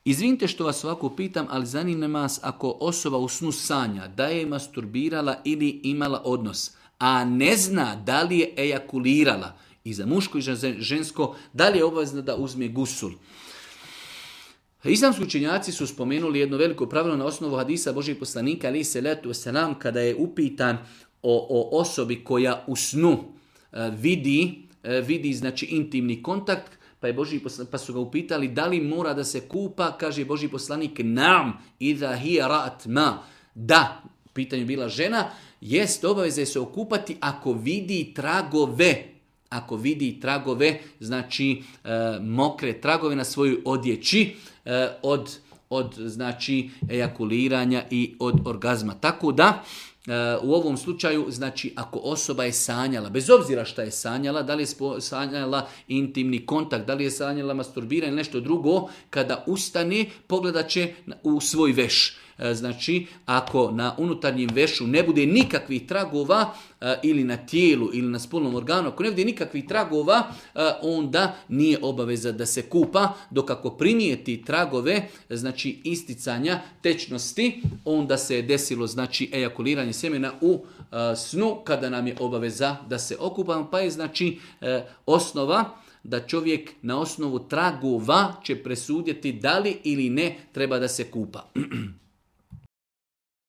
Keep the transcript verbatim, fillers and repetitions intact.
Izvinite što vas ovako pitam, ali zanima vas ako osoba u snu sanja da je masturbirala ili imala odnos, a ne zna da li je ejakulirala, i za muško i za žensko, da li je obavezna da uzme gusul. Islamski učenjaci su spomenuli jedno veliko pravilo na osnovu hadisa Božijeg poslanika, alejhi selatu vesselam, kada je upitan o, o osobi koja u snu uh, vidi, uh, vidi znači intimni kontakt, pa, je Božji poslanik, pa su ga upitali da li mora da se kupa, kaže Božji poslanik, nam, idha hiya ra'at ma, da, u pitanju bila žena, jest obaveza se okupati ako vidi tragove, ako vidi tragove, znači e, mokre tragove na svojoj odjeći e, od, od znači ejakuliranja i od orgazma. Tako da e, u ovom slučaju, znači ako osoba je sanjala, bez obzira šta je sanjala, da li je sanjala intimni kontakt, da li je sanjala masturbiranje ili nešto drugo, kada ustane pogledat će u svoj veš. Znači, ako na unutarnjem vešu ne bude nikakvih tragova ili na tijelu ili na spolnom organu, ako ne bude nikakvih tragova, onda nije obaveza da se kupa, dok ako primijeti tragove, znači isticanja tečnosti, onda se je desilo znači ejakuliranje sjemena u snu, kada nam je obaveza da se okupamo, pa je znači osnova da čovjek na osnovu tragova će presuditi da li ili ne treba da se kupa.